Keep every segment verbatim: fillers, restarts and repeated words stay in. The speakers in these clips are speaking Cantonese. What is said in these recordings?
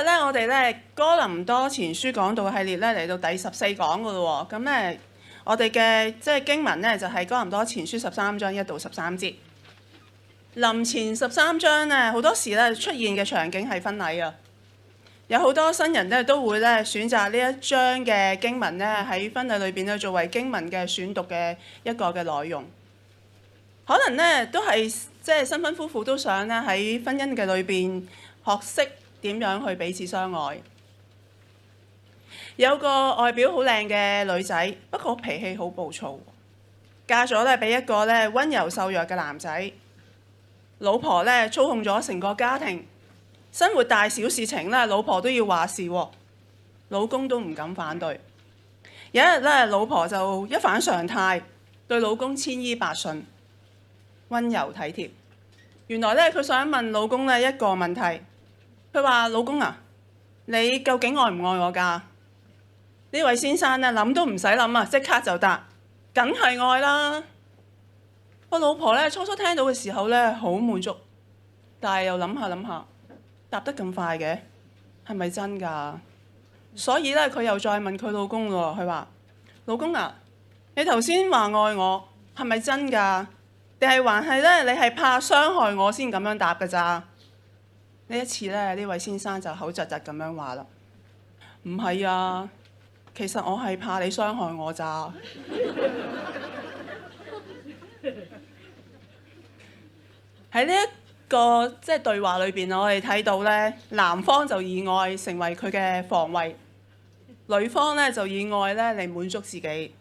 咧，我哋咧哥林多前書講道系列咧嚟到第十四講噶咯喎。咁咧，我哋嘅即係經文咧就係哥林多前書十三章一到十三節。臨前十三章咧，好多時咧出現嘅場景係婚禮啊。有好多新人咧都會咧選擇呢一章嘅經文咧喺婚禮裏邊咧作為經文嘅選讀嘅一個嘅內容。可能咧都係即係新婚夫婦都想咧喺婚姻嘅裏邊學識點樣去彼此相愛。有個外表好靚嘅女仔，不過脾氣好暴躁，嫁咗咧俾一個咧溫柔瘦弱嘅男仔。老婆咧操控咗成個家庭，生活大小事情咧，老婆都要話事喎，老公都唔敢反對。有一日咧，老婆就一反常態，對老公千依百順，溫柔體貼。原來咧，佢想問老公咧一個問題，佢話：老公啊，你究竟愛唔愛我㗎？呢位先生咧諗都唔使諗啊，即刻就答：梗係愛啦！個老婆咧初初聽到嘅時候咧好滿足，但係又諗下諗下，答得咁快嘅，係咪真㗎？所以咧佢又再問佢老公喎，佢話：老公啊，你頭先話愛我係咪真㗎？定係還係咧你係怕傷害我先咁樣答㗎咋？呢一次咧呢位先生就口窒窒咁樣話啦：唔係啊，其實我係怕你傷害我咋。喺呢一個即係對話裏邊，我哋睇到咧，男方就以愛成為佢嘅防衛，女方咧就以愛咧嚟滿足自己。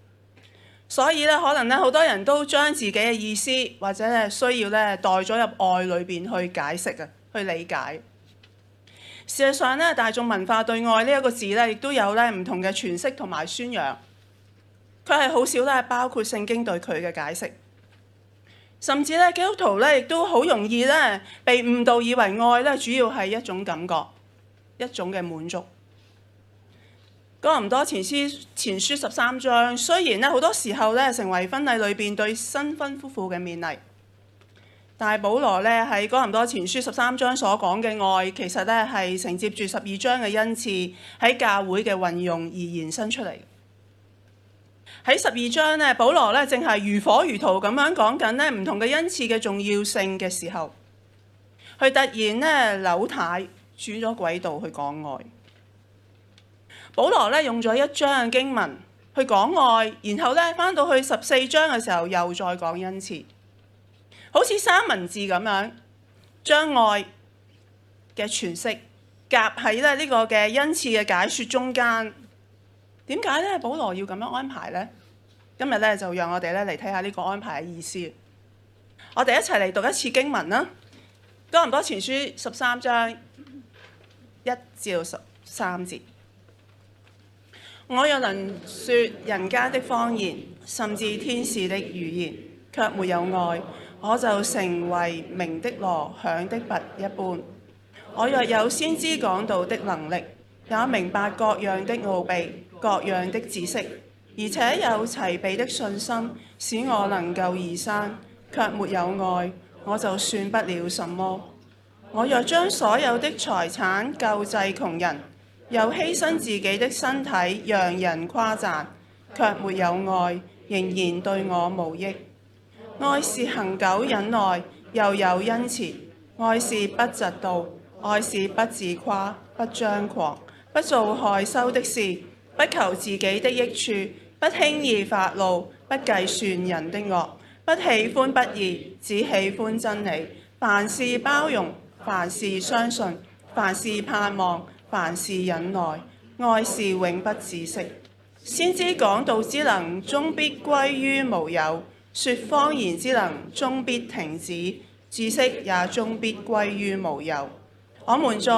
所以咧，可能咧好多人都將自己嘅意思或者咧需要咧代咗入愛裏邊去解釋啊，去理解。事實上咧，大眾文化對愛呢一個字咧，亦都有咧唔同嘅詮釋同埋宣揚。佢係好少咧包括聖經對佢嘅解釋。甚至咧，基督徒咧亦都好容易咧被誤導，以為愛咧主要係一種感覺，一種嘅滿足。哥林多前書前書十三章，雖然咧好多時候咧成為婚禮裏邊對新婚夫婦嘅勉勵，但係保羅咧喺哥林多前書十三章所講嘅愛，其實咧係承接住十二章嘅恩賜喺教會嘅運用而延伸出嚟。喺十二章咧，保羅咧正係如火如荼咁樣講緊咧唔同嘅恩賜嘅重要性嘅時候，佢突然咧扭軚轉咗軌道去講愛。保羅咧用咗一章嘅經文去講愛，然後咧返到去十四章嘅時候又再講恩賜，好似三文治咁樣，將愛嘅詮釋夾喺咧呢個嘅恩賜嘅解說中間。點解咧？保羅要咁樣安排呢？今日咧就讓我哋咧嚟睇下呢個安排嘅意思。我哋一齊嚟讀一次經文啦，《哥林多前書》十三章一至到十三節。我若能説人間的方言，甚至天使的語言，卻沒有愛，我就成為鳴的鑼，響的鈸一般。我若有先知講道的能力，也明白各樣的奧秘，各樣的知識，而且有齊備的信心，使我能夠移山，卻沒有愛，我就算不了什麼。我若將所有的財產救濟窮人，又犧牲自己的身體讓人誇讚，卻沒有愛，仍然對我無益。愛是恒久忍耐，又有恩慈；愛是不嫉妒，愛是不自誇，不張狂，不做害羞的事，不求自己的益處，不輕易發怒，不計算人的惡，不喜歡不義，只喜歡真理。凡事包容，凡事相信，凡事盼望，凡事忍耐。愛是永不止息。先知講道之能，終必歸於無有；說方言之能，終必停止；知識也終必歸於無有。我們在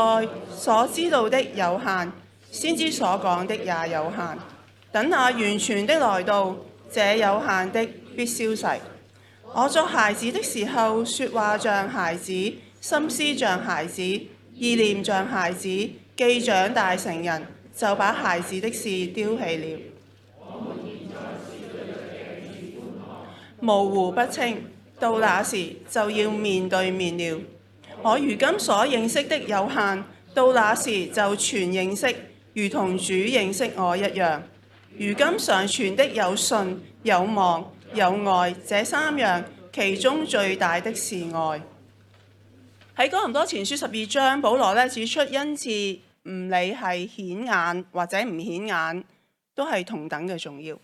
所知道的有限，先知所講的也有限。等那完全的來到，這有限的必消逝。我作孩子的時候，說話像孩子，心思像孩子，意念像孩子；既長大成人，就把孩子的事丟棄了。模糊不清，到那時就要面對面了。我如今所認識的有限，到那時就全認識，如同主認識我一樣。如今常存的有信、有望、有愛，這三樣，其中最大的是愛。喺哥林多前書十二章，保羅咧指出恩賜唔理係顯眼或者唔顯眼，都係同等嘅重要。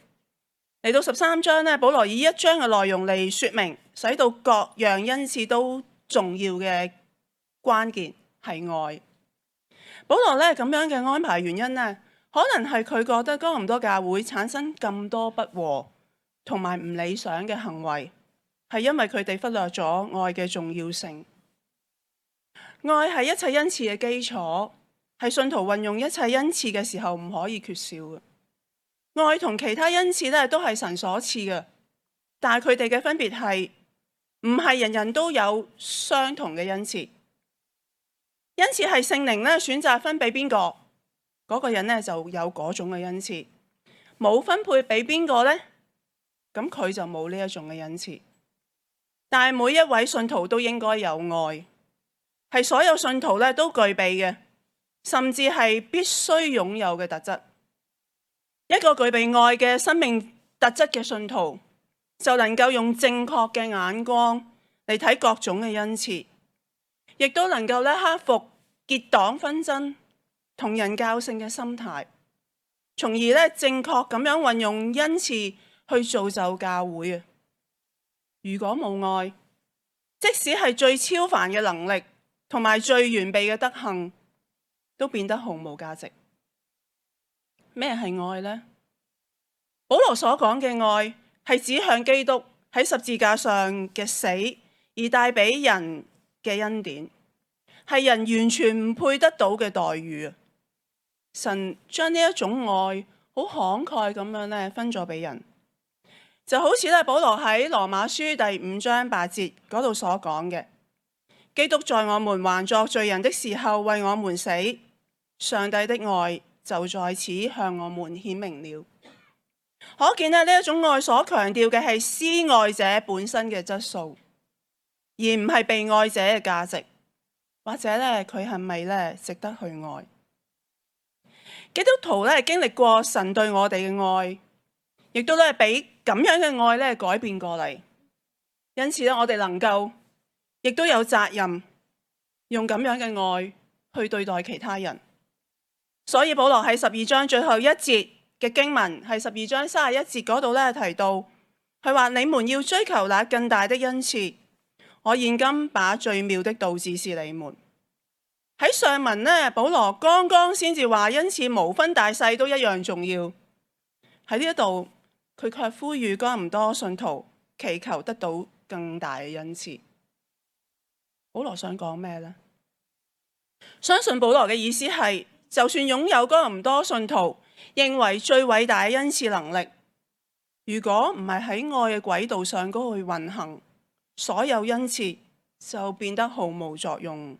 嚟到十三章咧，保羅以一章嘅內容嚟說明，使到各樣恩賜都重要嘅關鍵係愛。保羅咧咁樣嘅安排原因呢，可能係佢覺得哥林多教會產生咁多不和同埋唔理想嘅行為，係因為佢哋忽略咗愛嘅重要性。愛係一切恩賜嘅基礎，係信徒運用一切恩賜嘅時候唔可以缺少嘅。愛同其他恩賜咧都係神所賜嘅，但係佢哋嘅分別係唔係人人都有相同嘅恩賜。恩賜係聖靈咧選擇分俾邊個，嗰個人咧就有嗰種嘅恩賜。冇分配俾邊個呢？咁佢就冇呢一種嘅恩賜。但係每一位信徒都應該有愛。係所有信徒咧都具備嘅，甚至係必須擁有嘅特質。一個具備愛嘅生命特質嘅信徒，就能夠用正確嘅眼光嚟睇各種嘅恩賜，亦都能夠咧克服結黨紛爭同人較性嘅心態，從而咧正確咁樣運用恩賜去造就教會啊！如果冇愛，即使係最超凡嘅能力，同埋最完備嘅德行，都變得毫無價值。咩係愛呢？保羅所講嘅愛係指向基督喺十字架上嘅死而帶俾人嘅恩典，係人完全唔配得到嘅待遇。神將呢一種愛好慷慨咁樣咧分咗俾人，就好似咧保羅喺羅馬書第五章八節嗰度所講嘅。基督在我們還作罪人的時候為我們死，上帝的愛就在此向我們顯明了。可見呢一種愛所強調嘅係施愛者本身嘅質素，而唔係被愛者嘅價值，或者咧佢係咪咧值得去愛。基督徒咧經歷過神對我哋嘅愛，亦都咧俾咁樣嘅愛咧改變過嚟，因此咧我哋能夠亦都有責任用咁樣嘅愛去對待其他人。所以保羅喺十二章最後一節嘅經文，係十二章三十一節嗰度咧提到，佢話你們要追求那更大的恩賜，我現今把最妙的道指示你們。喺上文呢，保羅剛剛先至話恩賜無分大細都一樣重要，喺呢一度佢卻呼籲哥林多信徒祈求得到更大嘅恩賜。保羅想講咩呢？相信保羅嘅意思係，就算擁有哥林多信徒認為最偉大嘅恩賜能力，如果唔係喺愛嘅軌道上嗰去運行，所有恩賜就變得毫無作用。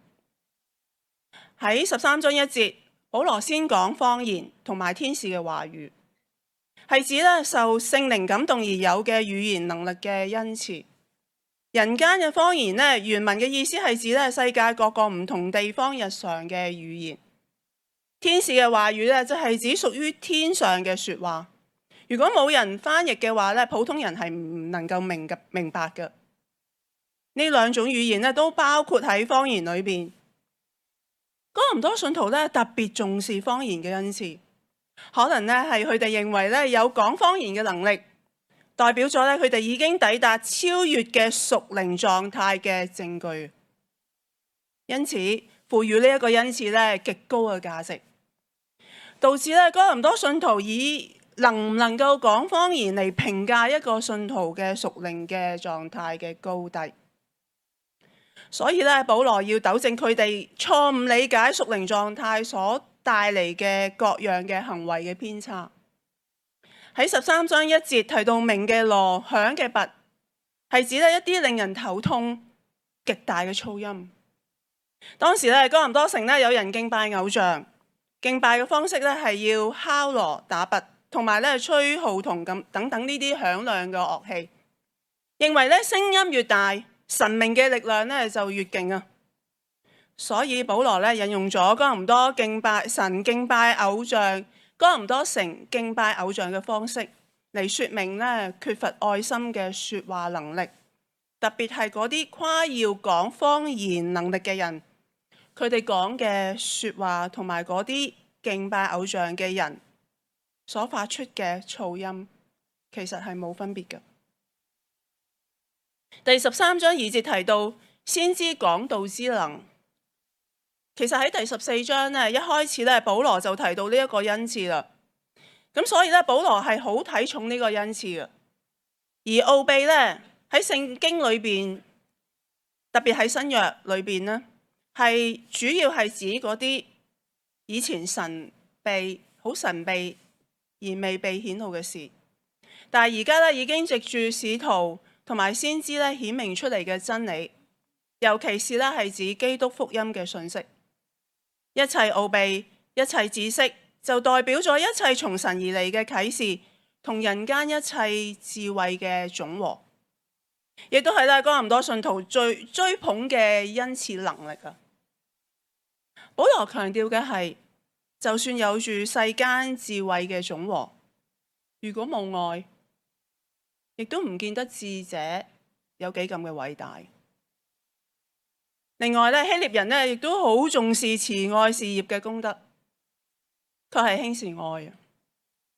喺十三章一節，保羅先講方言同埋天使嘅話語，係指咧受聖靈感動而有嘅語言能力嘅恩賜。人間嘅方言呢，原文嘅意思係指咧世界各個唔同地方日常嘅語言。天使嘅話語呢，就係指屬於天上嘅說話。如果冇人翻譯嘅話呢，普通人係唔能夠明嘅明白嘅。呢兩種語言呢，都包括喺方言裏邊。哥林多信徒呢，特別重視方言嘅恩賜，可能呢係佢哋認為呢有講方言嘅能力，代表咗咧，佢哋已經抵達超越嘅屬靈狀態嘅證據，因此賦予呢一個恩賜咧極高嘅價值，導致咧哥林多信徒以能唔能夠講方言嚟評價一個信徒嘅屬靈嘅狀態嘅高低。所以咧，保羅要糾正佢哋錯誤理解屬靈狀態所帶嚟嘅各樣嘅行為嘅偏差。喺十三章一節提到鳴嘅鑼、響嘅鈸，係指咧一啲令人頭痛、極大嘅噪音。當時咧哥林多城咧有人敬拜偶像，敬拜嘅方式咧係要敲鑼打鈸，同埋咧吹號筒咁等等呢啲響亮嘅樂器，認為咧聲音越大，神明嘅力量咧就越勁啊！所以保羅咧引用咗哥林多敬拜神、敬拜偶像、哥林多城敬拜偶像嘅方式嚟說明咧缺乏愛心嘅說話能力，特別係嗰啲誇耀講方言能力嘅人，佢哋講嘅說話同埋嗰啲敬拜偶像嘅人所發出嘅噪音，其實係冇分別嘅。第十三章二節提到先知講道之能，其實喺第十四章咧一開始咧，保羅就提到呢一個恩賜啦。咁所以咧，保羅係好睇重呢個恩賜嘅。而奧秘咧喺聖經裏邊，特別喺新約裏邊咧，係主要係指嗰啲以前神秘好神秘而未被顯露嘅事，但係而家咧已經藉住使徒同埋先知咧顯明出嚟嘅真理，尤其是咧係指基督福音嘅信息。一切奧秘、一切知識，就代表咗一切從神而嚟嘅啟示，同人間一切智慧嘅總和，亦都係咧哥林多信徒最追捧嘅恩賜能力啊！保羅強調嘅係，就算有住世間智慧嘅總和，如果冇愛，亦都唔見得智者有幾咁嘅偉大。另外咧，希臘人咧亦都好重視慈愛事業嘅功德，佢係輕視愛啊！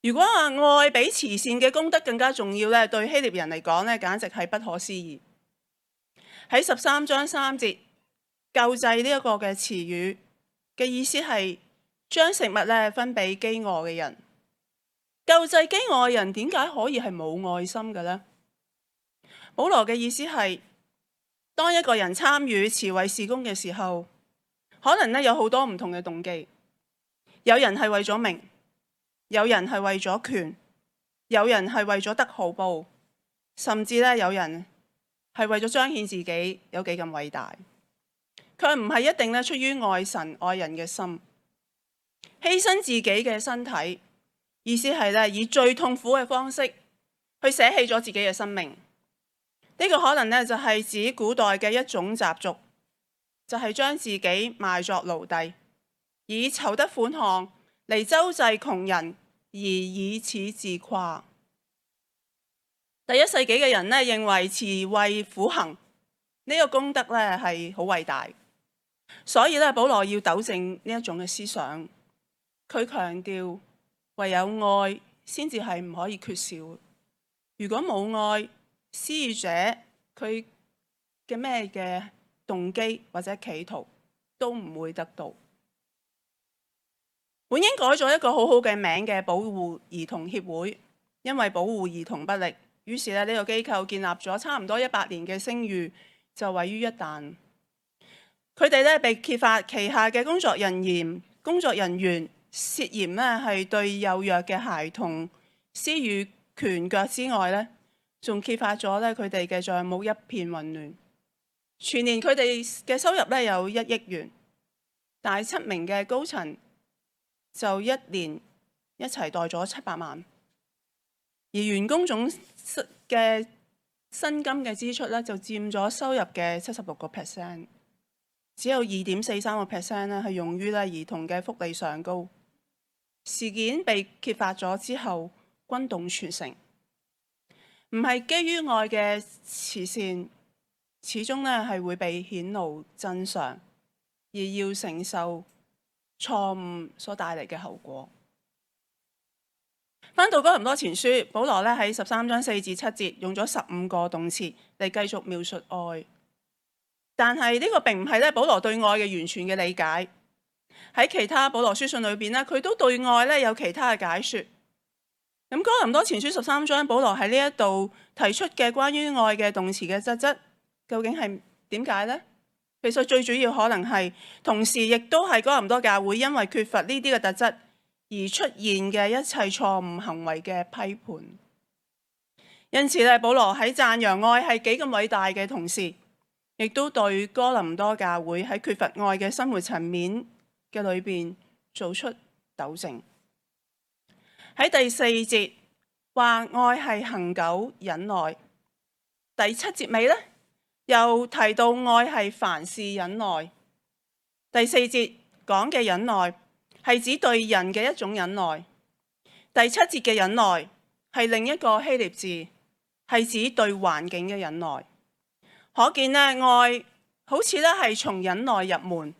如果話愛比慈善嘅功德更加重要咧，對希臘人嚟講咧，簡直係不可思議。喺十三章三節，救濟呢一個嘅詞語嘅意思係將食物咧分俾飢餓嘅人。救濟飢餓嘅人點解可以係冇愛心嘅呢？保羅嘅意思係，當一個人參與慈惠事工嘅時候，可能咧有好多唔同嘅動機。有人係為咗名，有人係為咗權，有人係為咗得好報，甚至咧有人係為咗彰顯自己有幾咁偉大。佢唔係一定咧出於愛神愛人嘅心，犧牲自己嘅身體，意思係咧以最痛苦嘅方式去捨棄咗自己嘅生命。呢個可能咧就係指古代嘅一種習俗，就係將自己賣作奴隸，以籌得款項嚟周濟窮人，而以此自誇。第一世紀嘅人咧認為慈惠苦行呢個功德咧係好偉大，所以咧保羅要糾正呢一種嘅思想。佢強調唯有愛先至係唔可以缺少。如果冇愛，施予者佢嘅咩嘅動機或者企圖都唔會得到。本應改咗一個好好嘅名嘅保護兒童協會，因為保護兒童不力，於是咧呢個機構建立咗差唔多一百年嘅聲譽就毀於一旦。佢哋咧被揭發旗下嘅工作人員工作人員涉嫌咧係對幼弱嘅孩童施予拳腳之外咧，仲揭發咗咧佢哋嘅帳目一片混亂。全年佢哋嘅收入咧有一億元，但係七名嘅高層就一年一齊袋咗七百萬，而員工總嘅薪金嘅支出咧就佔咗收入嘅七十六個 percent， 只有二點四三個 percent 咧係用於咧兒童嘅福利上高。事件被揭發咗之後，轟動全城。唔係基於愛嘅慈善，始終咧係會被顯露真相，而要承受錯誤所帶嚟嘅後果。翻到哥林多前書，保羅咧喺十三章四至七節用咗十五個動詞嚟繼續描述愛，但係呢個並唔係咧保羅對愛嘅完全嘅理解。喺其他保羅書信裏邊咧，佢都對愛咧有其他嘅解說。咁哥林多前書十三章，保羅喺呢一度提出嘅關於愛嘅動詞嘅特質，究竟係點解呢？其實最主要可能係，同時亦都係哥林多教會因為缺乏呢啲嘅特質而出現嘅一切錯誤行為嘅批判。因此咧，保羅喺讚揚愛係幾咁偉大嘅同時，亦都對哥林多教會喺缺乏愛嘅生活層面嘅裏邊做出糾正。喺第四節話愛係恆久忍耐，第七節尾咧又提到愛係凡事忍耐。第四節講嘅忍耐係指對人嘅一種忍耐。第七節嘅忍耐係另一個希臘字，係指對環境嘅忍耐。可見呢，愛好似咧係從忍耐入門，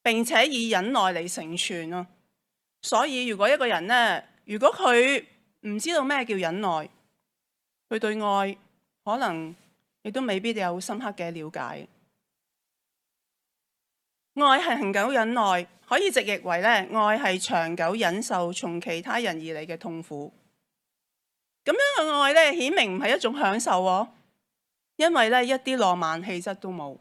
並且以忍耐嚟成全咯。所以如果一個人呢，如果佢唔知道咩叫忍耐，佢對愛可能亦都未必有深刻嘅了解。愛係恆久忍耐，可以直譯為咧，愛係長久忍受從其他人而嚟嘅痛苦。咁樣嘅愛咧，顯明唔係一種享受喎，因為咧一啲浪漫氣質都冇。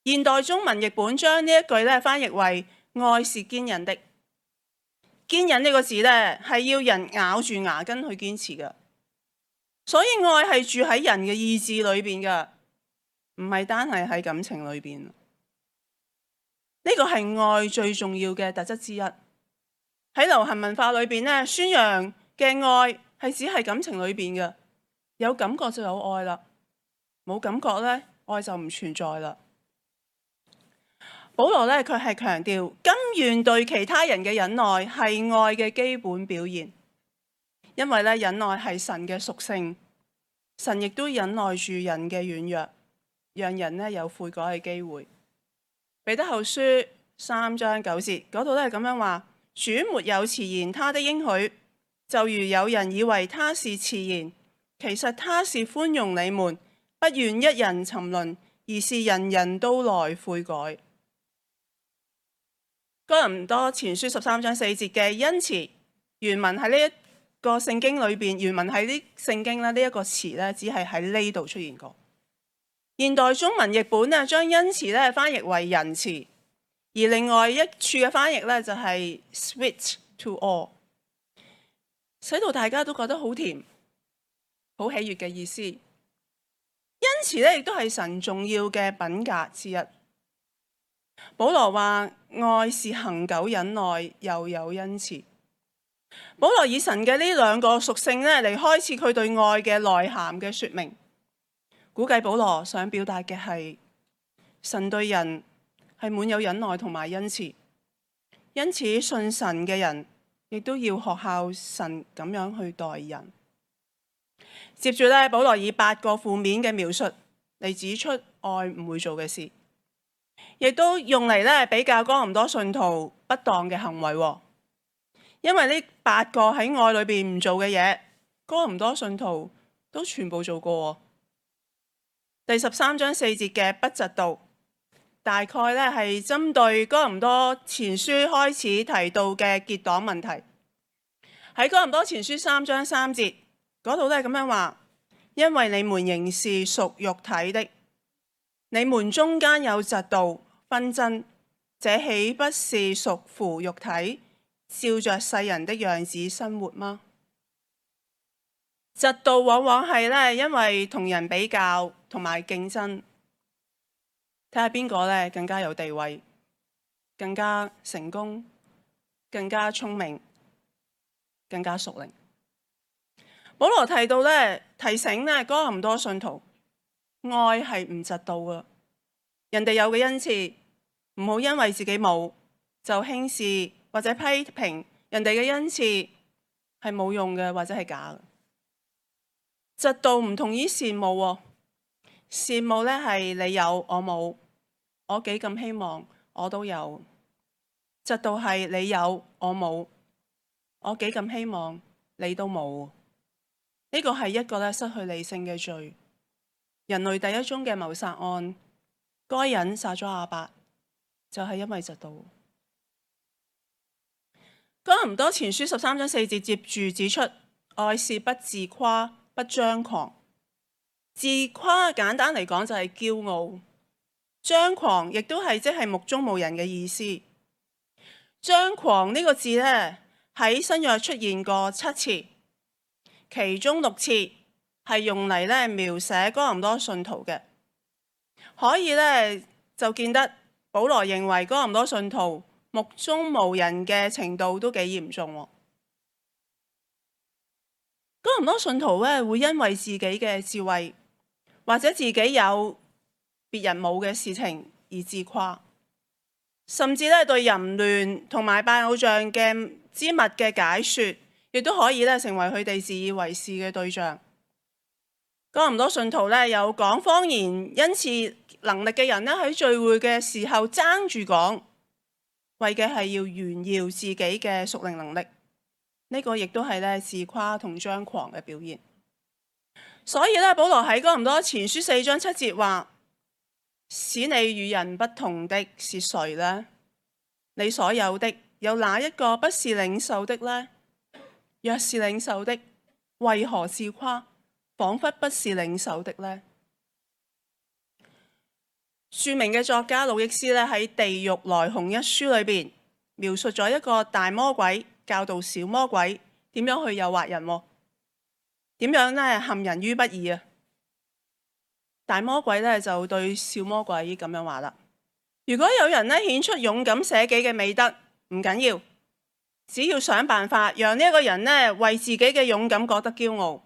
現代中文譯本將呢一句咧翻譯為愛是堅忍的。堅忍呢個字咧係要人咬住牙根去堅持嘅，所以愛係住喺人嘅意志裏邊嘅，唔係單係喺感情裏邊。呢個係愛最重要嘅特質之一。喺流行文化裏邊咧，宣揚嘅愛係只係感情裏邊嘅，有感覺就有愛啦，冇感覺咧，愛就唔存在啦。保羅咧，佢係強調甘願對其他人嘅忍耐係愛嘅基本表現，因為咧忍耐係神嘅屬性，神亦都忍耐住人嘅軟弱，讓人咧有悔改嘅機會。彼得後書三章九節嗰度都係咁樣話：主沒有遲延他的應許，就如有人以為他是遲延，其實他是寬容你們，不願一人沉淪，而是人人都來悔改。哥林多前書十三章四節嘅恩慈，原文喺呢一個聖經裏邊，原文喺呢聖經咧呢一個詞咧，只係喺呢度出現過。現代中文譯本咧將恩慈咧翻譯為仁慈，而另外一處嘅翻譯咧就係 sweet to all， 使到大家都覺得好甜、好喜悅嘅意思。恩慈咧亦都係神重要嘅品格之一。保羅話愛是恆久忍耐，又有恩慈。保羅以神嘅呢兩個屬性咧嚟開始佢對愛嘅內涵嘅說明。估計保羅想表達嘅係神對人係滿有忍耐同埋恩慈，因此信神嘅人亦都要學效神咁樣去待人。接住咧，保羅以八個負面嘅描述嚟指出愛唔會做嘅事，亦都用嚟咧比較哥林多信徒不當嘅行為。因為呢八個喺愛裏邊唔做嘅嘢，哥林多信徒都全部做過。第十三章四節嘅不嫉妒，大概咧係針對哥林多前書開始提到嘅結黨問題。喺哥林多前書三章三節嗰度咧咁樣話：因為你們仍是屬肉體的，你們中間有嫉妒紛爭，這豈不是屬乎肉體，照着世人的樣子生活嗎？嫉妒往往係咧因為同人比較同埋競爭，睇下邊個咧更加有地位、更加成功、更加聰明、更加屬靈。保羅提到咧，提醒咧哥林多信徒，愛係唔嫉妒噶，人哋有嘅恩賜，唔好因為自己冇就輕視或者批評人哋嘅恩賜係冇用嘅或者係假嘅。嫉妒唔同於羨慕喎，羨慕咧係你有我冇，我幾咁希望我都有。嫉妒係你有我冇，我幾咁希望你都冇。呢個係一個咧失去理性嘅罪。人類第一宗嘅謀殺案，該隱殺咗亞伯，就係因為嫉妒。哥林多前書十三章四節接住指出，愛是不自誇，不張狂。自誇簡單嚟講就係驕傲，張狂亦都係即係目中無人嘅意思。張狂呢個字呢，喺新約出現過七次，其中六次係用嚟咧描寫哥林多信徒嘅，可以咧就見得保羅認為哥林多信徒目中無人嘅程度都幾嚴重。哥林多信徒咧會因為自己嘅智慧或者自己有別人冇嘅事情而自誇，甚至咧對淫亂同埋拜偶像嘅之物嘅解說，亦都可以咧成為佢哋自以為是嘅對象。哥林多信徒咧有講方言恩賜能力嘅人咧喺聚會嘅時候爭住講，為嘅係要炫耀自己嘅屬靈能力。呢個亦都係咧自誇同張狂嘅表現。所以咧，保羅喺哥林多前書四章七節話：使你與人不同的是誰呢？你所有的有哪一個不是領受的呢？若是領受的，為何自誇，仿佛不是領受的呢？著名嘅作家魯益斯咧喺《地獄來鴻》一書裏邊描述咗一個大魔鬼教導小魔鬼點樣去誘惑人，點樣咧陷人於不義啊！大魔鬼咧就對小魔鬼咁樣話啦：如果有人咧顯出勇敢捨己嘅美德，唔緊要，只要想辦法讓呢一個人咧為自己嘅勇敢覺得驕傲，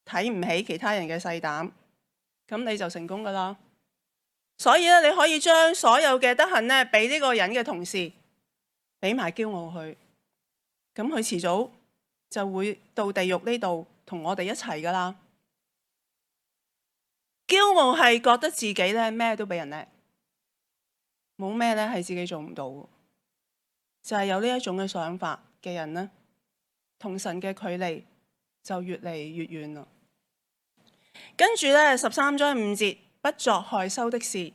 睇唔起其他人嘅細膽，咁你就成功噶啦。所以咧，你可以將所有嘅德行咧俾呢個人嘅同事，俾埋驕傲佢，咁佢遲早就會到地獄呢度同我哋一齊噶啦。驕傲係覺得自己咧咩都比人叻，冇咩咧係自己做唔到，就係有呢一種嘅想法嘅人呢，同神嘅距離就越嚟越遠啦。跟住咧十三章五節，不作害羞的事。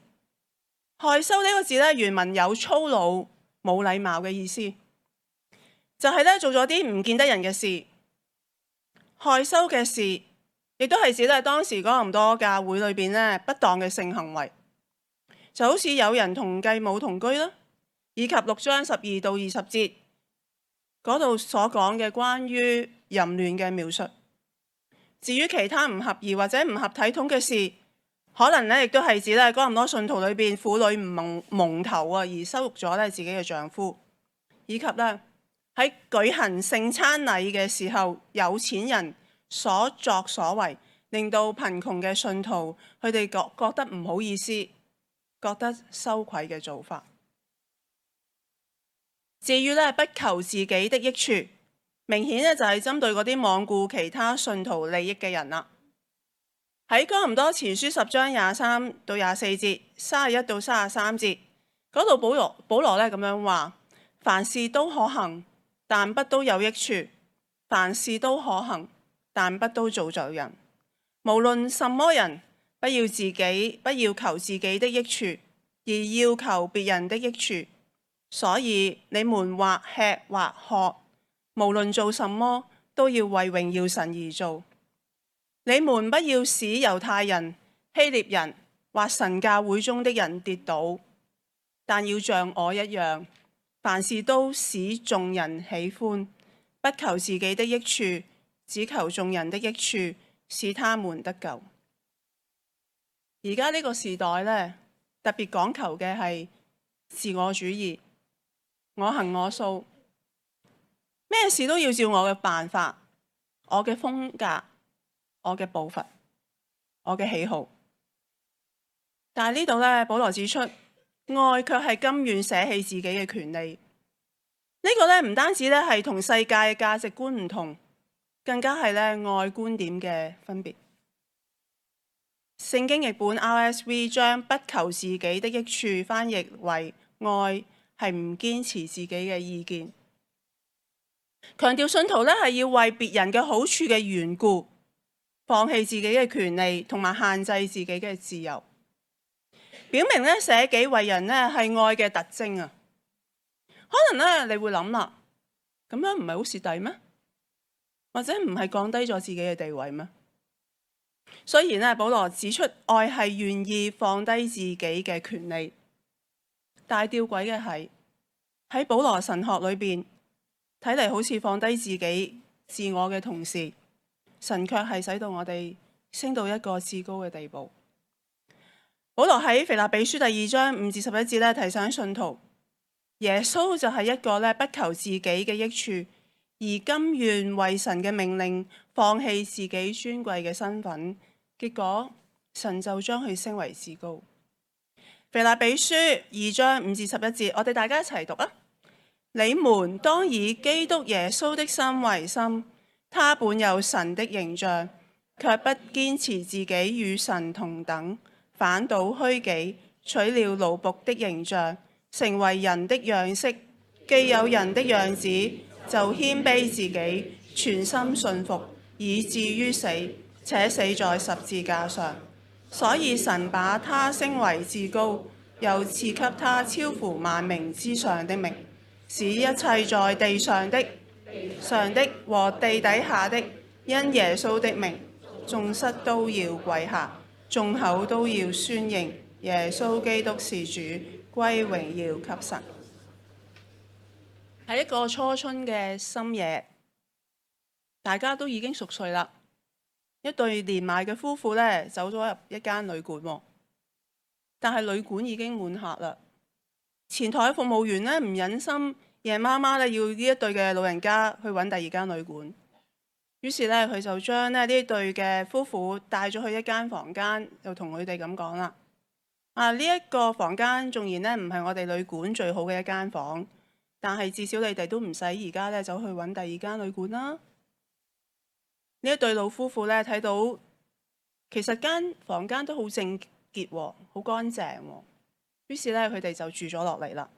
害羞呢個字咧原文有粗魯、冇禮貌嘅意思，就係咧做咗啲唔見得人嘅事。害羞嘅事亦都係指咧當時哥林多教會裏邊咧不當嘅性行為，就好似有人同繼母同居啦，以及六章十二到二十節嗰度所講嘅關於淫亂嘅描述。至於其他唔合宜或者唔合體統嘅事，可能咧亦都係指咧哥林多信徒裏邊婦女唔蒙蒙頭啊，而羞辱咗咧自己嘅丈夫，以及咧喺舉行聖餐禮嘅時候，有錢人所作所為，令到貧窮嘅信徒佢哋覺覺得唔好意思，覺得羞愧嘅做法。至於咧不求自己的益處，明顯咧就係針對嗰啲罔顧其他信徒利益嘅人啦。喺哥林多前書十章廿三到廿四節、三十一到三十三節嗰度，保羅保羅咧咁樣話：凡事都可行，但不都有益處；凡事都可行，但不都造就人。無論什麼人，不要自己，不要求自己的益處，而要求別人的益處。所以你們或吃或喝，無論做什麼，都要為榮耀神而做。你們不要使猶太人、希臘人或神教會中的人跌倒，但要像我一樣，凡事都使眾人喜歡，不求自己的益處，只求眾人的益處，使他們得救。而家呢個時代呢，特別講求嘅係自我主義，我行我素，咩事都要照我嘅辦法，我嘅風格，我嘅步伐，我嘅喜好。但係呢度咧，保羅指出，愛卻係甘願捨棄自己嘅權利。呢個咧唔單止咧係同世界嘅價值觀唔同，更加係咧愛觀點嘅分別。聖經譯本 R S V 將不求自己的益處翻譯為愛係唔堅持自己嘅意見，強調信徒咧係要為別人嘅好處嘅緣故，放棄自己嘅權利同埋限制自己嘅自由，表明咧捨己為人咧係愛嘅特徵啊！可能咧你會諗啦，咁樣唔係好蝕底咩？或者唔係降低咗自己嘅地位咩？雖然咧保羅指出愛係願意放低自己嘅權利，但係吊詭嘅係喺保羅神學裏邊睇嚟，好似放低自己自我嘅同時，神卻係使到我哋升到一個至高嘅地步。保羅喺腓立比書第二章五至十一節咧提醒信徒，耶穌就係一個咧不求自己嘅益處，而甘願為神嘅命令放棄自己尊貴嘅身份，結果神就將佢升為至高。腓立比書二章五至十一節，我哋大家一齊讀啊！你們當以基督耶穌的心為心，他本有神的形象，卻不堅持自己與神同等，反倒虛己，取了奴僕的形象，成為人的樣式。既有人的樣子，就謙卑自己，全心信服，以至於死，且死在十字架上。所以神把他升為至高，又賜給他超乎萬名之上的名，使一切在地上的、上的和地底下的，因耶穌的名，眾膝都要跪下，眾口都要宣認耶穌基督是主，歸榮耀給神。喺一個初春嘅深夜，大家都已經熟睡啦。一對年邁嘅夫婦咧走咗入一間旅館，但係旅館已經滿客啦。前台嘅服務員咧唔忍心夜媽媽咧要呢一對嘅老人家去揾第二間旅館，於是咧佢就將咧呢一對嘅夫婦帶咗去一間房間，就同佢哋咁講啦：啊，呢一個房間縱然咧唔係我哋旅館最好嘅一間房，但係至少你哋都唔使而家咧走去揾第二間旅館啦。呢一對老夫婦咧睇到，其實間房間都好整潔，好乾淨，於是咧佢哋就住咗落嚟啦。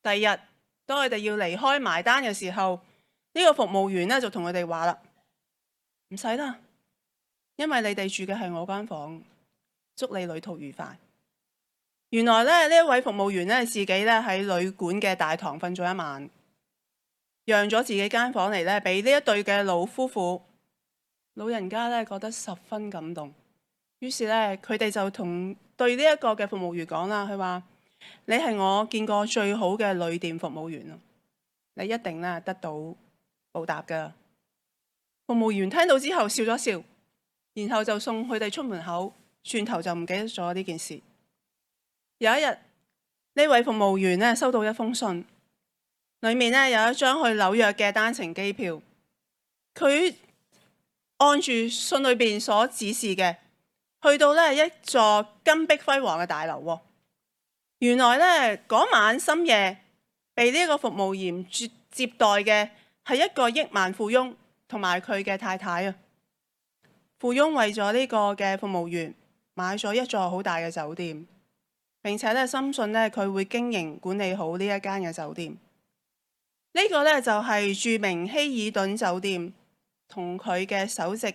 第二日，當佢哋要離開埋單嘅時候，呢個服務員咧就同佢哋話啦：唔使啦，因為你哋住嘅係我間房，祝你旅途愉快。原來咧呢一位服務員咧自己咧喺旅館嘅大堂瞓咗一晚，讓咗自己間房嚟咧俾呢一對嘅老夫婦。老人家咧覺得十分感動，於是咧佢哋就同對呢一個嘅服務員講啦，佢話：你係我見過最好嘅旅店服務員，你一定咧得到報答噶。服務員聽到之後笑咗笑，然後就送佢哋出門口，轉頭就唔記得咗呢件事。有一日，呢位服務員咧收到一封信，裏面咧有一張去紐約嘅單程機票，佢按住信裏邊所指示嘅，去到呢一座金碧輝煌嘅大樓。原來呢嗰晚深夜被呢個服務員接接待嘅係一個億萬富翁同埋佢嘅太太啊。富翁為咗呢個嘅服務員買咗一座好大嘅酒店，並且呢深信呢佢會經營管理好呢一間嘅酒店。呢個呢就係著名希爾頓酒店同佢嘅首席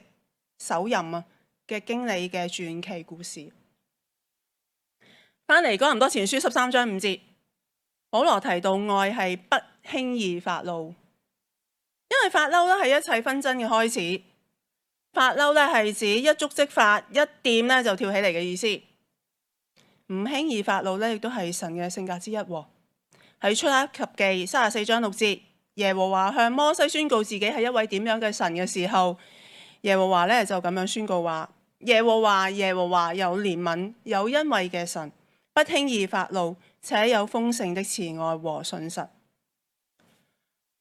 首任啊嘅經理嘅傳奇故事。翻嚟《哥林多前書》十三章五節，保羅提到愛係不輕易發怒，因為發嬲咧係一切紛爭嘅開始。發嬲咧係指一觸即發，一掂咧就跳起嚟嘅意思。唔輕易發怒咧，亦都係神嘅性格之一。喺出埃及記三十四章六節，耶和華向摩西宣告自己係一位點樣嘅神嘅時候，耶和華咧就咁樣宣告話：耶和華耶和華有憐憫有恩惠嘅神，不輕易發怒，且有豐盛的慈愛和信實。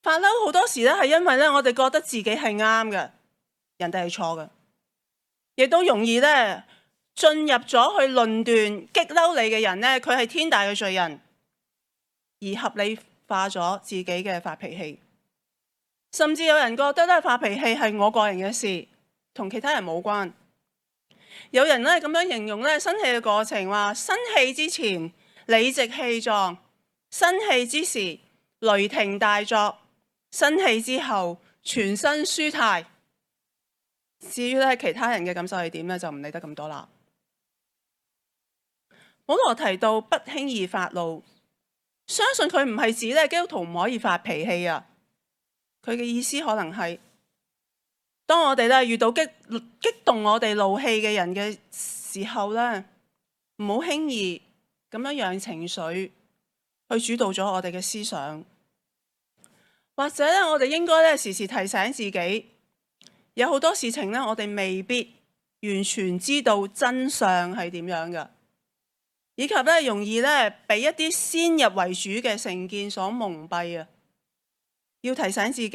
發嬲好多時咧係因為咧我哋覺得自己係啱嘅，人哋係錯嘅，亦都容易咧進入咗去論斷激嬲你嘅人咧，佢係天大嘅罪人，而合理化咗自己嘅發脾氣。甚至有人覺得咧發脾氣係我個人嘅事，同其他人冇關。有人咧咁樣形容咧生氣嘅過程，話生氣之前理直氣壯，生氣之時雷霆大作，生氣之後全身舒泰。至於咧其他人嘅感受係點咧，就唔理得咁多啦。保羅提到不輕易發怒，相信佢唔係指咧基督徒唔可以發脾氣啊。佢嘅意思可能係，當我哋咧遇到激激動我哋怒氣嘅人嘅時候咧，唔好輕易咁樣讓情緒去主導咗我哋嘅思想，或者咧我哋應該咧時時提醒自己，有好多事情咧我哋未必完全知道真相係點樣嘅，以及咧容易咧俾一啲先入為主嘅成見所蒙蔽啊！要提醒自己，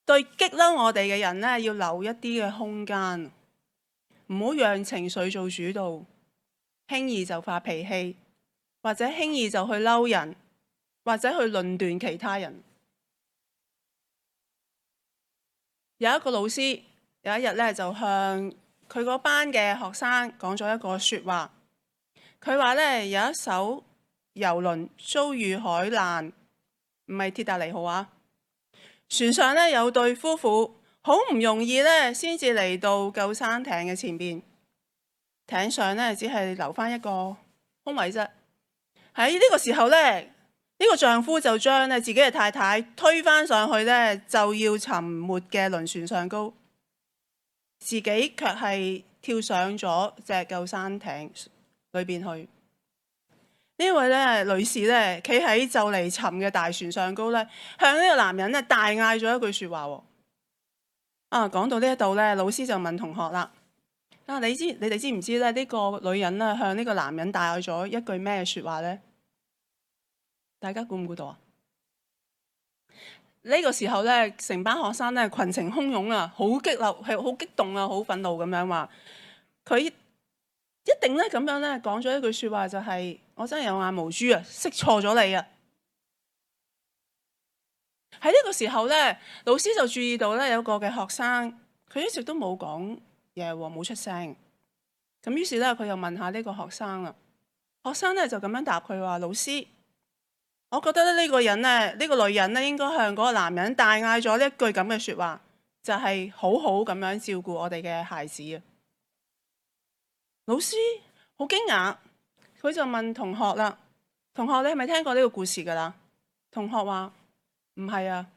對激嬲我哋嘅人咧，要留一啲嘅空間，唔好讓情緒做主導，輕易就發脾氣，或者輕易就去嬲人，或者去論斷其他人。有一個老師有一日咧，就向佢嗰班嘅學生講咗一個說話。佢話咧，有一艘遊輪遭遇海難，唔係鐵達尼號啊。船上咧有對夫婦，好唔容易咧先至嚟到救生艇嘅前邊。艇上咧只係留翻一個空位啫。喺呢個時候咧，呢個丈夫就將咧自己嘅太太推返上去咧就要沉沒嘅輪船上高，自己卻係跳上咗隻救生艇裏邊去。呢位咧女士咧企喺就嚟沉嘅大船上高咧，向呢個男人咧大嗌咗一句說話。啊，講到呢一度咧，老師就問同學啦：啊，你知你哋知唔知咧呢個女人咧向呢個男人大嗌咗一句咩說話呢？大家估唔估到啊？呢個時候咧，成班學生咧群情洶湧啊，好激流，係好激動啊，好憤怒咁樣話，佢一定咧咁樣咧講咗一句說話，就係我真係有眼無珠啊，識錯咗你啊！喺呢個時候咧，老師就注意到咧有個嘅學生，佢一直都冇講嘢，冇出聲。咁於是咧，佢又問下呢個學生啦。學生咧就咁樣答佢話：老師，我覺得咧呢個人咧，呢個女人咧應該向嗰個男人大嗌咗呢一句咁嘅說話，就係好好咁樣照顧我哋嘅孩子啊！老師好驚訝，佢就問同學啦：同學，你係咪聽過呢個故事噶啦？同學話：唔係啊，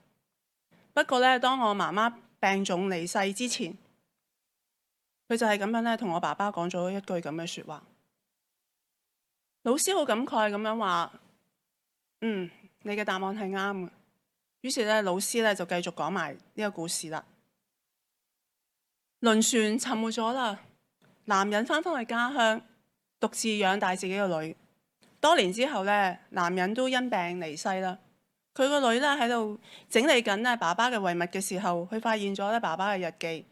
不過咧，當我媽媽病重離世之前，佢就係咁樣咧同我爸爸講咗一句咁嘅說話。老師好感慨咁樣話：嗯，你嘅答案係啱嘅。於是咧，老師咧就繼續講埋呢個故事啦。輪船沉沒咗啦，男人翻返去家鄉，獨自養大自己個女。多年之後咧，男人都因病離世啦。佢個女咧喺度整理緊咧爸爸嘅遺物嘅時候，佢發現咗咧爸爸嘅日記。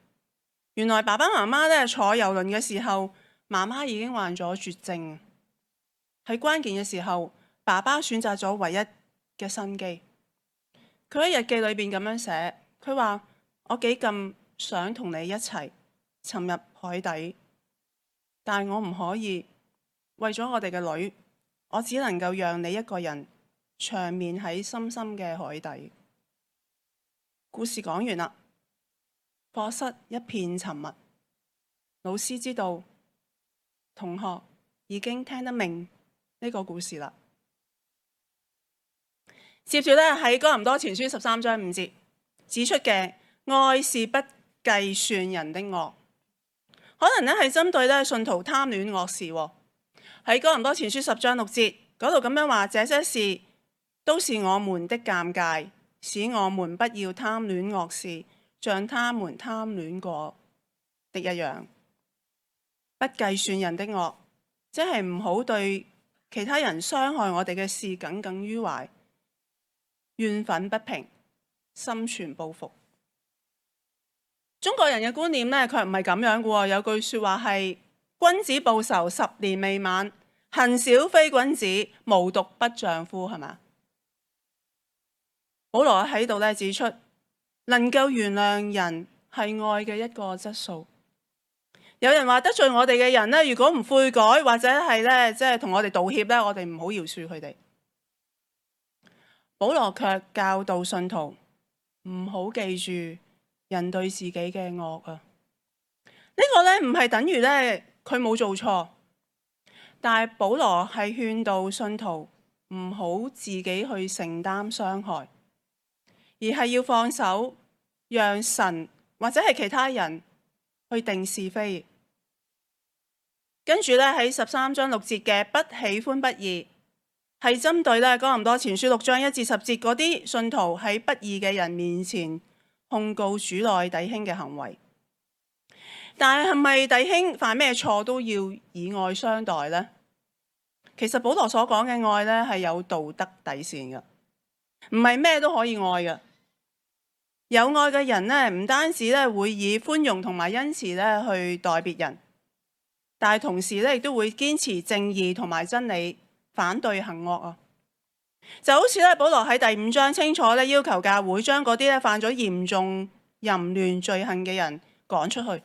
原來爸爸媽媽咧坐遊輪嘅時候，媽媽已經患咗絕症。喺關鍵嘅時候，爸爸選擇咗唯一嘅生機。佢喺日記裏邊咁樣寫，佢話：我幾咁想同你一齊沉入海底，但係我唔可以。為咗我哋嘅女，我只能夠讓你一個人長眠喺深深嘅海底。故事講完啦，課室一片沉默。老師知道同學已經聽得明呢個故事啦。接住咧喺哥林多前書十三章五節指出嘅愛是不計算人的惡，可能咧係針對咧信徒貪戀惡事。喺哥林多前書十章六節嗰度咁樣話：這些事都是我們的鑑戒，使我們不要貪戀惡事，像他們貪戀過的一樣。不計算人的惡，即係唔好對其他人傷害我哋嘅事耿耿於懷，怨憤不平，心存報復。中國人嘅觀念呢，佢唔係咁樣嘅喎。有句說話係：君子報仇，十年未晚；恨小非君子，無毒不丈夫，係嘛？保羅喺度咧指出，能夠原諒人係愛嘅一個質素。有人話得罪我哋嘅人呢，如果唔悔改或者係咧即係同我哋道歉呢，我哋唔好饒恕佢哋。保羅卻教導信徒唔好記住人對自己嘅惡啊！呢個咧唔係等於咧佢冇做錯，但係保羅係勸導信徒唔好自己去承擔傷害，而係要放手，讓神或者係其他人去定是非。跟住咧喺十三章六節嘅不喜歡不義，係針對咧哥林多前書六章一至十節嗰啲信徒喺不義嘅人面前控告主內弟兄嘅行為。但係係咪弟兄犯咩錯都要以愛相待呢？其實保羅所講嘅愛咧係有道德底線嘅，唔係咩都可以愛嘅。有愛嘅人咧，唔單止咧會以寬容同埋恩慈咧去待別人，但係同時咧亦都會堅持正義同埋真理，反對行惡啊！就好似咧，保羅喺第五章清楚咧要求教會將嗰啲咧犯咗嚴重淫亂罪行嘅人趕出去。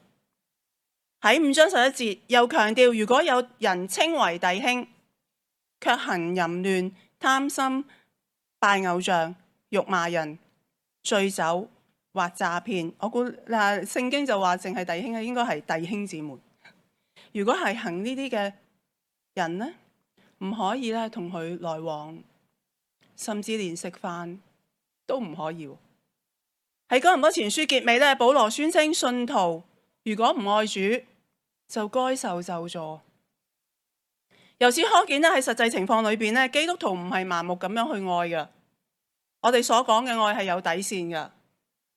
喺五章十一節又強調，如果有人稱為弟兄，卻行淫亂、貪心、拜偶像、辱罵人、醉酒或詐騙，我估嗱聖經就話淨係弟兄咧，應該係弟兄姊妹。如果係行呢啲嘅人呢，唔可以咧同佢來往，甚至連食飯都唔可以。喺哥林多前書結尾咧，保羅宣稱信徒如果唔愛主，就該受咒詛。由此可見咧，喺實際情況裏邊咧，基督徒唔係盲目咁樣去愛嘅。我哋所講嘅愛係有底線嘅，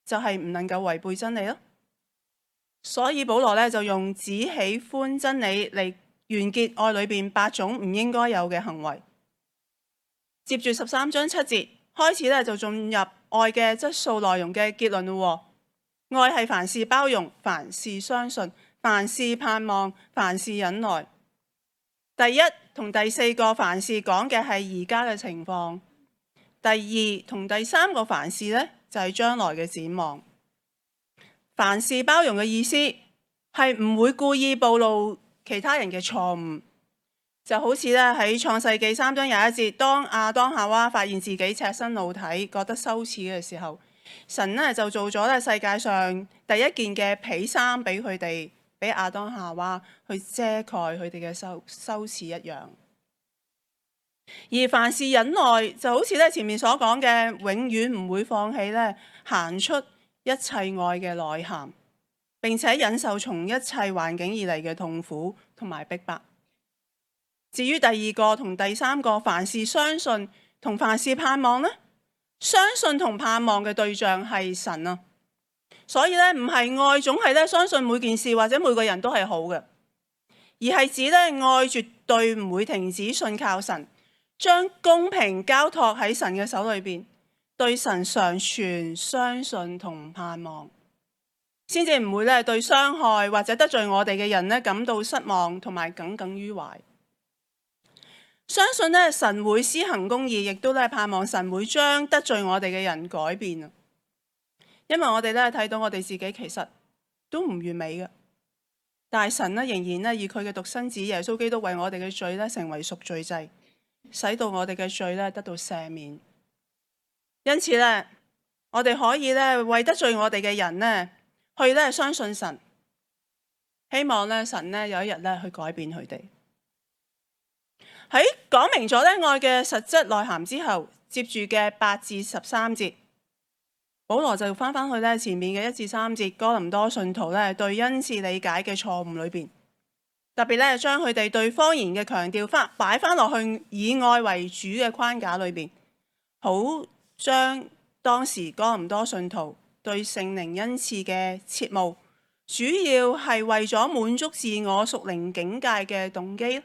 就係唔能夠違背真理咯。所以保羅咧就用只喜歡真理嚟完結愛裏邊八種唔應該有嘅行為。接住十三章七節開始咧，就進入愛嘅質素內容嘅結論咯。愛係凡事包容，凡事相信，凡事盼望，凡事忍耐。第一同第四個凡事講嘅係而家嘅情況，第二同第三個凡事呢，就係將來嘅展望。凡事包容嘅意思係唔會故意暴露其他人嘅錯誤，就好似咧喺創世記三章廿一節，當亞當夏娃發現自己赤身露體，覺得羞恥嘅時候，神呢就做咗咧世界上第一件嘅皮衫俾佢哋。俾亞當夏娃去遮蓋佢哋嘅羞羞恥一樣，而凡事忍耐就好似咧前面所講嘅，永遠唔會放棄咧行出一切愛嘅內涵，並且忍受從一切環境而嚟嘅痛苦同埋逼迫。至於第二個同第三個凡事相信同凡事盼望呢，相信同盼望嘅對象係神啊。所以咧，唔係愛總係咧相信每件事或者每個人都係好嘅，而係指咧愛絕對唔會停止信靠神，將公平交託喺神嘅手裏邊，對神常存相信同盼望，先至唔會咧對傷害或者得罪我哋嘅人咧感到失望同埋耿耿於懷。相信咧神會施行公義，亦都咧盼望神會將得罪我哋嘅人改變啊！因為我哋咧睇到我哋自己其實都唔完美嘅，但係神咧仍然咧以佢嘅獨生子耶穌基督為我哋嘅罪咧成為贖罪祭，使到我哋嘅罪咧得到赦免。因此咧，我哋可以咧為得罪我哋嘅人咧去咧相信神，希望咧神咧有一日咧去改變佢哋。喺講明咗咧愛嘅實質內涵之後，接住嘅八至十三節。保羅就翻返去咧前面嘅一至三節哥林多信徒咧對恩賜理解嘅錯誤裏邊，特別咧將佢哋對方言嘅強調翻擺翻落去以愛為主嘅框架裏邊，好將當時哥林多信徒對聖靈恩賜嘅切慕，主要係為咗滿足自我屬靈境界嘅動機，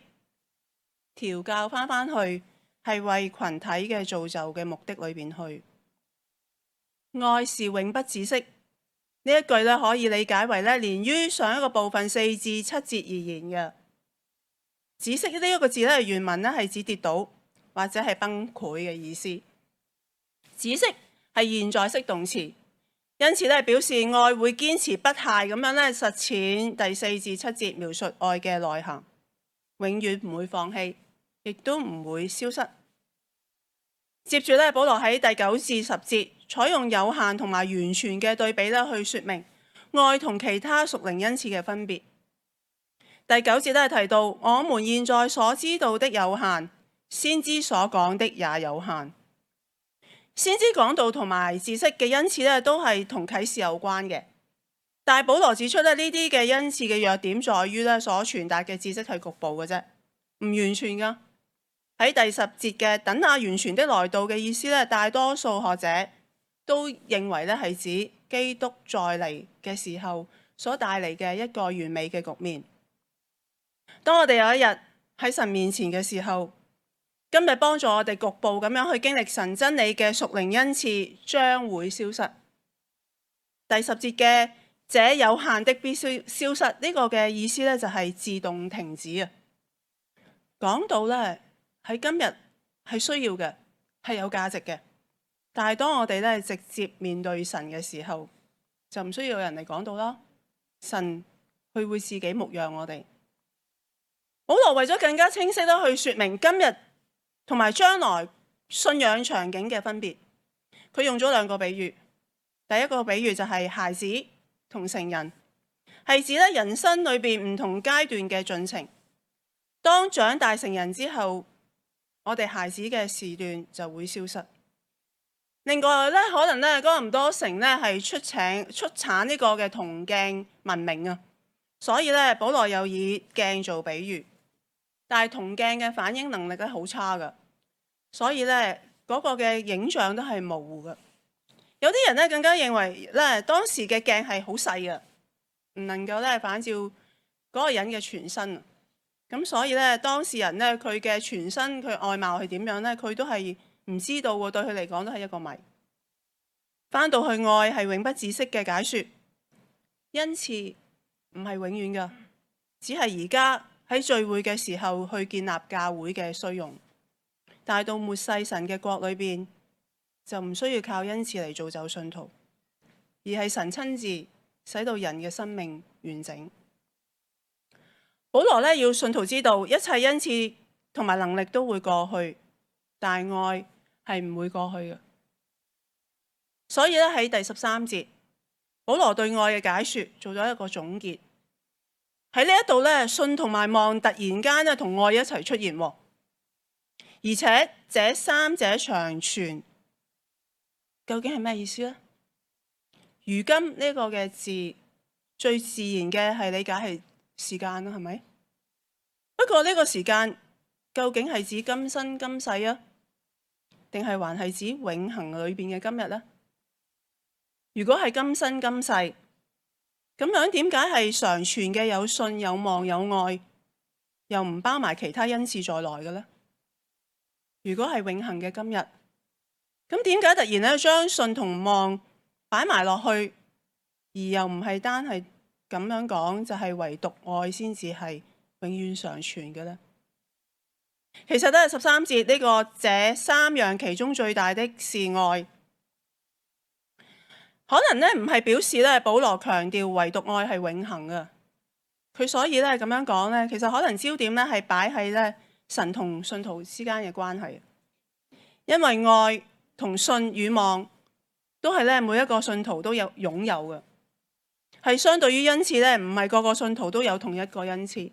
調教翻返去係為群體嘅造就嘅目的裏邊去。愛是永不止息，呢一句咧可以理解為咧連於上一個部分四至七節而言嘅。止息呢一個字咧原文咧係指跌倒或者係崩潰嘅意思。止息係現在式動詞，因此咧表示愛會堅持不懈咁樣咧實踐第四至七節描述愛嘅內涵，永遠唔會放棄，亦都唔會消失。接住咧，保羅喺第九至十節採用有限同埋完全嘅對比咧，去說明愛同其他屬靈恩賜嘅分別。第九節都係提到，我們現在所知道的有限，先知所講的也有限。先知講道同埋知識嘅恩賜咧，都係同啟示有關嘅。但係保羅指出咧，呢啲嘅恩賜嘅弱點在於咧，所傳達嘅知識係局部嘅啫，唔完全噶。喺第十節嘅等那完全的來到嘅意思咧，大多數學者都認為咧係指基督再嚟嘅時候所帶嚟嘅一個完美嘅局面。當我哋有一日喺神面前嘅時候，今日幫助我哋局部咁樣去經歷神真理嘅屬靈恩賜將會消失。第十節嘅這有限的必須消失，呢個嘅意思咧就係自動停止啊。講到咧喺今日係需要嘅，係有價值嘅，但係當我哋咧直接面對神嘅時候，就唔需要有人嚟講到啦。神佢會自己牧養我哋。保羅為咗更加清晰咧去說明今日同埋將來信仰場景嘅分別，佢用咗兩個比喻。第一個比喻就係孩子同成人，係指咧人生裏邊唔同階段嘅進程。當長大成人之後，我哋孩子嘅時段就會消失。另外咧，可能咧哥林多城咧係出請出產呢個嘅銅鏡文明啊，所以咧保羅又以鏡做比喻。但係銅鏡嘅反應能力咧好差噶，所以咧嗰個嘅影像都係模糊嘅。有啲人咧更加認為咧當時嘅鏡係好細嘅，唔能夠咧反照嗰個人嘅全身。咁所以咧當事人咧佢嘅全身佢外貌係點樣咧，佢都係唔知道喎。對佢嚟講都係一個謎。翻到去愛係永不止息嘅解說，恩賜唔係永遠噶，只係而家喺聚會嘅時候去建立教會嘅需用。但係到末世神嘅國裏邊，就唔需要靠恩賜嚟造就信徒，而係神親自使到人嘅生命完整。保羅咧要信徒知道，一切恩賜同埋能力都會過去，但愛係唔會過去嘅。所以咧喺第十三節，保羅對愛嘅解說做咗一個總結。喺呢一度咧，信同埋望突然間咧同愛一齊出現，而且這三者長存，究竟係咩意思呢？如今呢個嘅字最自然嘅係理解係時間啦，係咪？不過呢個時間究竟係指今生今世啊，定係還係指永恆裏邊嘅今日呢？如果係今生今世，咁樣點解係常存嘅有信有望有愛，又唔包埋其他恩賜在內嘅呢？如果係永恆嘅今日，咁點解突然咧將信同望擺埋落去，而又唔係單係咁樣講，就係唯獨愛先至係永遠常存嘅呢？其實咧十三節呢個這三樣其中最大的是愛。可能咧唔係表示咧保羅強調唯獨愛係永恆嘅，佢所以咧咁樣講咧，其實可能焦點咧係擺喺咧神同信徒之間嘅關係，因為愛同信與望都係咧每一個信徒都有擁有嘅，係相對於恩賜咧，唔係個個信徒都有同一個恩賜。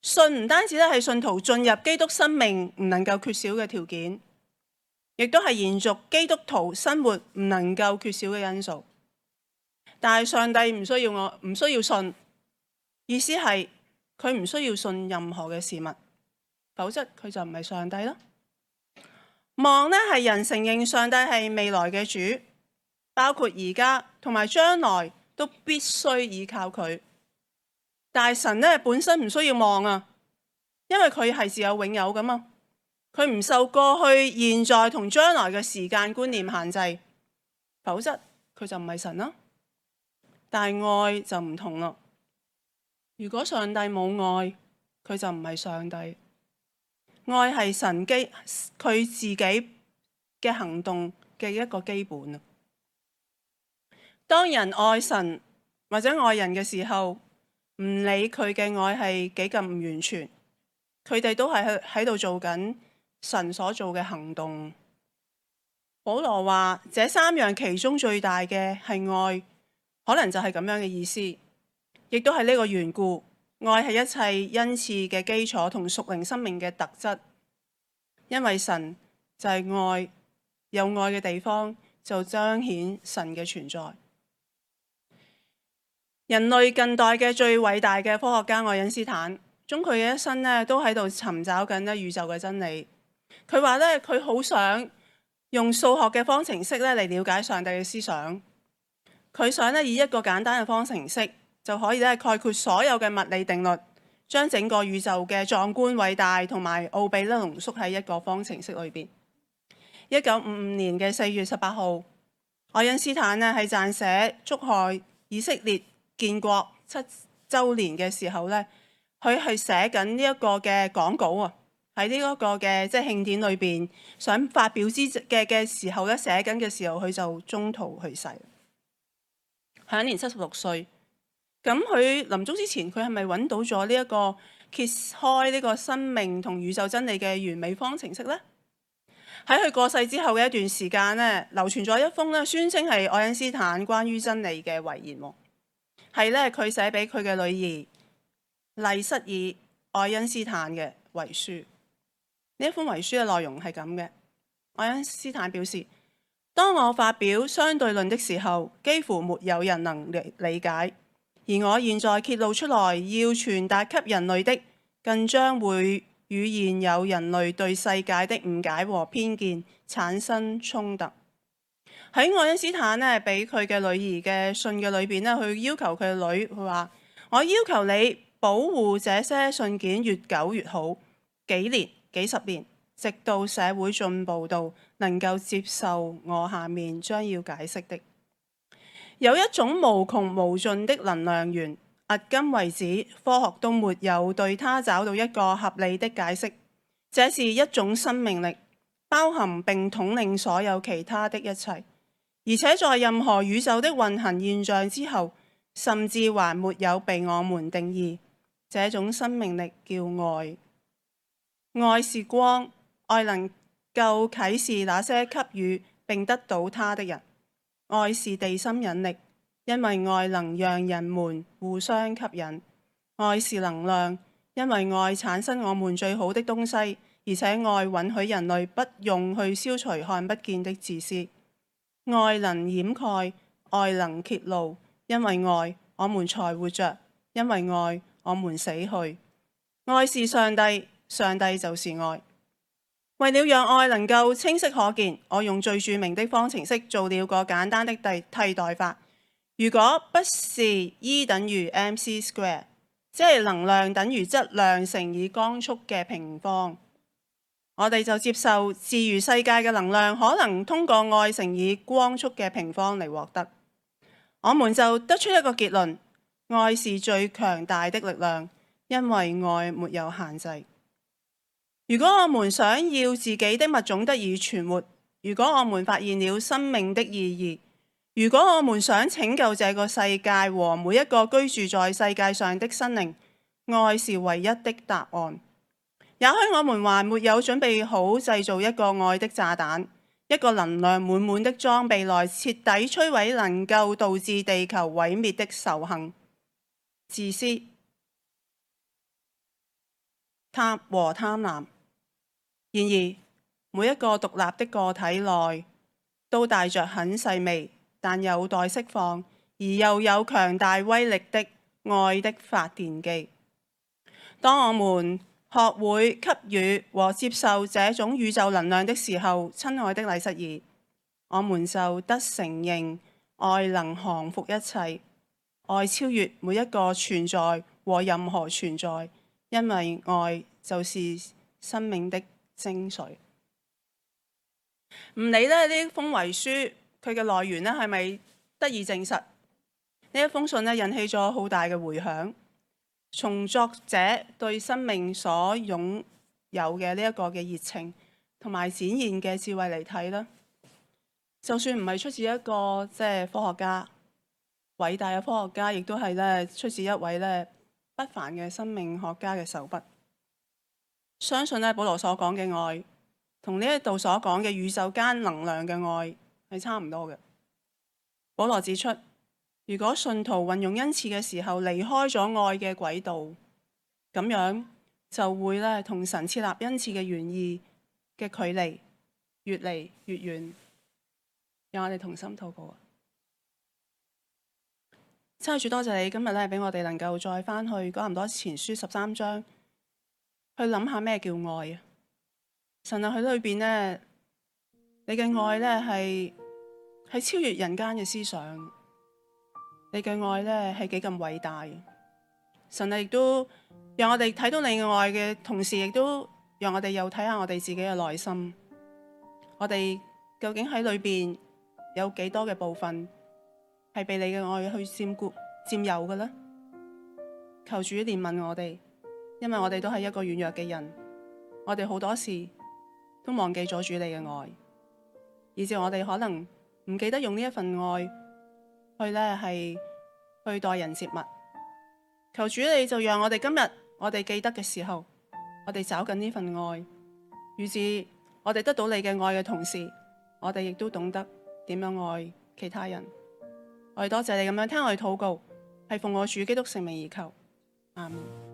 信唔單止咧係信徒進入基督生命唔能夠缺少嘅條件，亦都係延續基督徒生活唔能夠缺少嘅因素。但係上帝唔需要我，唔需要信，意思係佢唔需要信任何嘅事物，否則佢就唔係上帝啦。望呢係人承認上帝係未來嘅主，包括而家同埋將來都必須依靠佢。但係神呢本身唔需要望啊，因為佢係自有永有噶嘛。佢唔受過去、現在同將來嘅時間觀念限制，否則佢就唔係神啦。但係愛就唔同啦。如果上帝冇愛，佢就唔係上帝。愛係神基佢自己嘅行動嘅一個基本啊。當人愛神或者愛人嘅時候，唔理佢嘅愛係幾咁唔完全，佢哋都係喺度做緊神所做嘅行動。保羅話：這三樣其中最大嘅係愛，可能就係咁樣嘅意思，亦都係呢個緣故。愛係一切恩賜嘅基礎同屬靈生命嘅特質，因為神就係愛，有愛嘅地方就彰顯神嘅存在。人類近代嘅最偉大嘅科學家愛因斯坦，終佢嘅一生呢都喺度尋找緊呢宇宙嘅真理。佢話咧，佢好想用數學嘅方程式咧嚟了解上帝嘅思想。佢想咧以一個簡單嘅方程式就可以咧概括所有嘅物理定律，將整個宇宙嘅壯觀偉大同埋奧秘咧濃縮喺一個方程式裏邊。一九五五年嘅四月十八號，愛因斯坦咧喺撰寫祝賀以色列建國七週年嘅時候呢，佢係寫緊呢一個嘅講稿啊，喺呢一個嘅即係慶典裏邊想發表之嘅嘅時候咧，寫緊嘅時候佢就中途去世，享年七十六歲。咁佢臨終之前，佢係咪揾到咗呢一個揭開呢個生命同宇宙真理嘅完美方程式呢？喺佢過世之後嘅一段時間咧，流傳咗一封咧宣稱係愛因斯坦關於真理嘅遺言，係咧佢寫俾佢嘅女兒麗瑟爾愛因斯坦嘅遺書。呢一封遺書嘅內容係咁嘅：愛因斯坦表示，當我發表相對論的時候，幾乎沒有人能理解。而我現在揭露出來要傳達給人類的，更將會與現有人類對世界的誤解和偏見產生衝突。喺愛因斯坦呢，俾佢嘅女兒嘅信嘅裏邊呢，佢要求佢嘅女，佢話：我要求你保護這些信件越久越好，幾年、幾十年，直到社會進步到能夠接受我下面將要解釋的。有一種無窮無盡的能量源，迄今為止科學都沒有對它找到一個合理的解釋。這是一種生命力，包含並統領所有其他的一切，而且在任何宇宙的運行現象之後，甚至還沒有被我們定義。這種生命力叫愛。愛是光，愛能夠啟示那些給予並得到它的人。愛是地心引力，因為愛能讓人們互相吸引。愛是能量，因為愛產生我們最好的東西，而且愛允許人類不用去消除看不見的自私。愛能掩蓋，愛能揭露，因為愛我們才活着，因為愛我們死去。愛是上帝，上帝就是愛。為了讓愛能夠清晰可見，我用最著名的方程式做了個簡單的替替代法。如果不是 E 等於 mc square， 即係能量等於質量乘以光速嘅平方，我哋就接受自如世界嘅能量可能通過愛乘以光速嘅平方嚟獲得。我們就得出一個結論：愛是最強大的力量，因為愛沒有限制。如果我們想要自己的物種得以存活，如果我們發現了生命的意義，如果我們想拯救這個世界和每一個居住在世界上的生靈，愛是唯一的答案。也許我們還沒有準備好製造一個愛的炸彈，一個能量滿滿的裝備來徹底摧毀能夠導致地球毀滅的仇恨、自私、貪和貪婪。然而，每一個獨立的個體內都帶着很細微但有待釋放而又有強大威力的愛的發電機。當我們學會給予和接受這種宇宙能量的時候，親愛的麗瑟爾，我們就得承認愛能降服一切，愛超越每一個存在和任何存在，因為愛就是生命的精髓。唔理咧呢封遺書佢嘅來源咧係咪得以證實，呢一封信咧引起咗好大嘅迴響。從作者對生命所擁有嘅呢一個嘅熱情同埋展現嘅智慧嚟睇啦，就算唔係出自一個即係科學家，偉大嘅科學家，亦都係咧出自一位咧不凡嘅生命學家嘅手筆。相信咧保羅所講嘅愛，同呢一度所講嘅宇宙間能量嘅愛係差唔多嘅。保羅指出，如果信徒運用恩賜嘅時候離開咗愛嘅軌道，咁樣就會咧同神設立恩賜嘅原意嘅距離越嚟越遠。讓我哋同心禱告啊！真係主多謝你今日咧俾我哋能夠再翻去哥林多前書十三章。去諗下咩叫愛啊！神啊，喺裏邊呢，你嘅愛呢係係超越人間嘅思想，你嘅愛呢係幾咁偉大。神啊，亦都讓我哋睇到你嘅愛嘅同時，亦都讓我哋又睇下我哋自己嘅內心。我哋究竟喺裏邊有幾多嘅部分係被你嘅愛去佔顧佔有嘅呢？求主憐憫我哋，因為我哋都係一個軟弱嘅人，我哋好多時都忘記咗主你嘅愛，以至我哋可能唔記得用呢一份愛去咧係去待人接物。求主你就讓我哋今日我哋記得嘅時候，我哋找緊呢份愛，於是我哋得到你嘅愛嘅同時，我哋亦都懂得點樣愛其他人。我哋多謝你咁樣聽我哋禱告，係奉我主基督聖名而求，阿們。